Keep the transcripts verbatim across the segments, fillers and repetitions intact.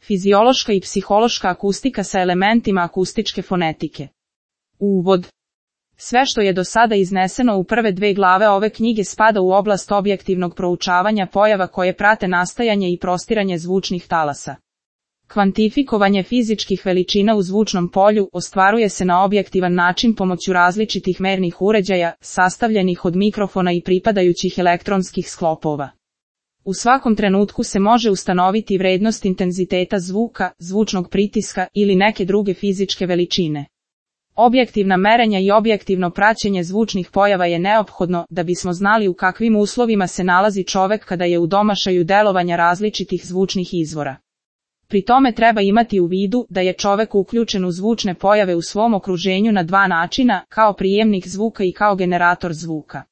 Fiziološka i psihološka akustika sa elementima akustičke fonetike. Uvod. Sve što je do sada izneseno u prve dve glave ove knjige spada u oblast objektivnog proučavanja pojava koje prate nastajanje i prostiranje zvučnih talasa. Kvantifikovanje fizičkih veličina u zvučnom polju ostvaruje se na objektivan način pomoću različitih mernih uređaja, sastavljenih od mikrofona i pripadajućih elektronskih sklopova. U svakom trenutku se može ustanoviti vrednost intenziteta zvuka, zvučnog pritiska ili neke druge fizičke veličine. Objektivna merenja i objektivno praćenje zvučnih pojava je neophodno da bismo znali u kakvim uslovima se nalazi čovek kada je u domašaju delovanja različitih zvučnih izvora. Pri tome treba imati u vidu da je čovek uključen u zvučne pojave u svom okruženju na dva načina, kao prijemnik zvuka i kao generator zvuka.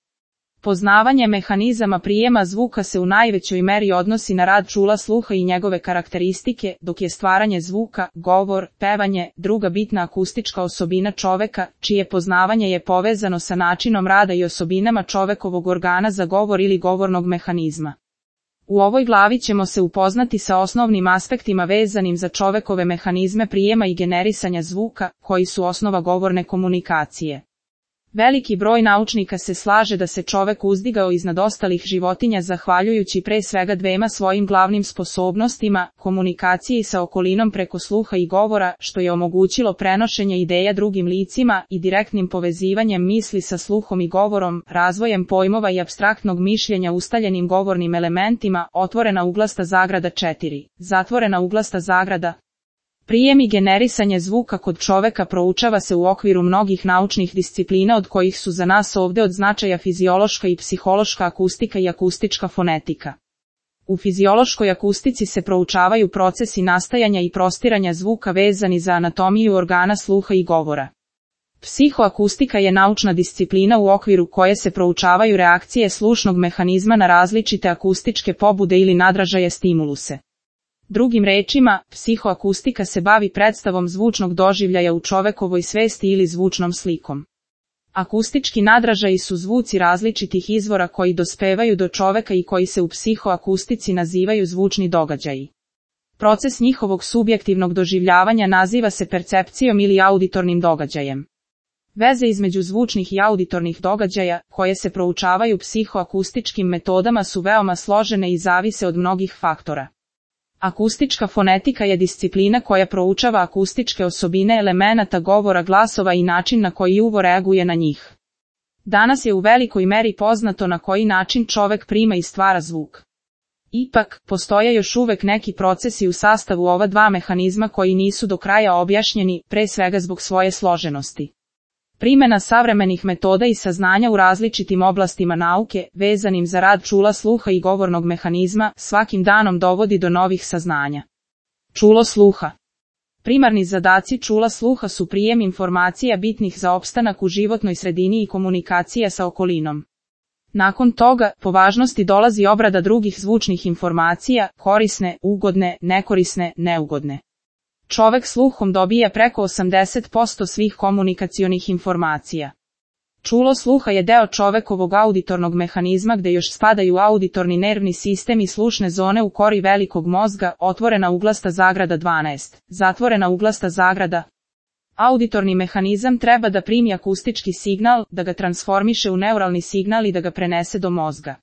Poznavanje mehanizama prijema zvuka se u najvećoj meri odnosi na rad čula sluha i njegove karakteristike, dok je stvaranje zvuka, govor, pevanje, druga bitna akustička osobina čoveka, čije poznavanje je povezano sa načinom rada i osobinama čovekovog organa za govor ili govornog mehanizma. U ovoj glavi ćemo se upoznati sa osnovnim aspektima vezanim za čovekove mehanizme prijema i generisanja zvuka, koji su osnova govorne komunikacije. Veliki broj naučnika se slaže da se čovek uzdigao iznad ostalih životinja zahvaljujući pre svega dvema svojim glavnim sposobnostima, komunikaciji sa okolinom preko sluha i govora, što je omogućilo prenošenje ideja drugim licima i direktnim povezivanjem misli sa sluhom i govorom, razvojem pojmova i apstraktnog mišljenja ustaljenim govornim elementima, otvorena uglasta zagrada četiri, zatvorena uglasta zagrada. Prijem i generisanje zvuka kod čoveka proučava se u okviru mnogih naučnih disciplina od kojih su za nas ovde od značaja fiziološka i psihološka akustika i akustička fonetika. U fiziološkoj akustici se proučavaju procesi nastajanja i prostiranja zvuka vezani za anatomiju organa sluha i govora. Psihoakustika je naučna disciplina u okviru koje se proučavaju reakcije slušnog mehanizma na različite akustičke pobude ili nadražaje stimuluse. Drugim rečima, psihoakustika se bavi predstavom zvučnog doživljaja u čovekovoj svesti ili zvučnom slikom. Akustički nadražaji su zvuci različitih izvora koji dospevaju do čoveka i koji se u psihoakustici nazivaju zvučni događaji. Proces njihovog subjektivnog doživljavanja naziva se percepcijom ili auditornim događajem. Veze između zvučnih i auditornih događaja, koje se proučavaju psihoakustičkim metodama, su veoma složene i zavise od mnogih faktora. Akustička fonetika je disciplina koja proučava akustičke osobine elemenata govora glasova i način na koji uvo reaguje na njih. Danas je u velikoj meri poznato na koji način čovek prima i stvara zvuk. Ipak, postoje još uvek neki procesi u sastavu ova dva mehanizma koji nisu do kraja objašnjeni, pre svega zbog svoje složenosti. Primena savremenih metoda i saznanja u različitim oblastima nauke, vezanim za rad čula sluha i govornog mehanizma, svakim danom dovodi do novih saznanja. Čulo sluha. Primarni zadaci čula sluha su prijem informacija bitnih za opstanak u životnoj sredini i komunikacija sa okolinom. Nakon toga, po važnosti dolazi obrada drugih zvučnih informacija, korisne, ugodne, nekorisne, neugodne. Čovek sluhom dobija preko osamdeset posto svih komunikacionih informacija. Čulo sluha je deo čovekovog auditornog mehanizma gde još spadaju auditorni nervni sistem i slušne zone u kori velikog mozga, otvorena uglasta zagrada dvanaest, zatvorena uglasta zagrada. Auditorni mehanizam treba da primi akustički signal, da ga transformiše u neuralni signal i da ga prenese do mozga.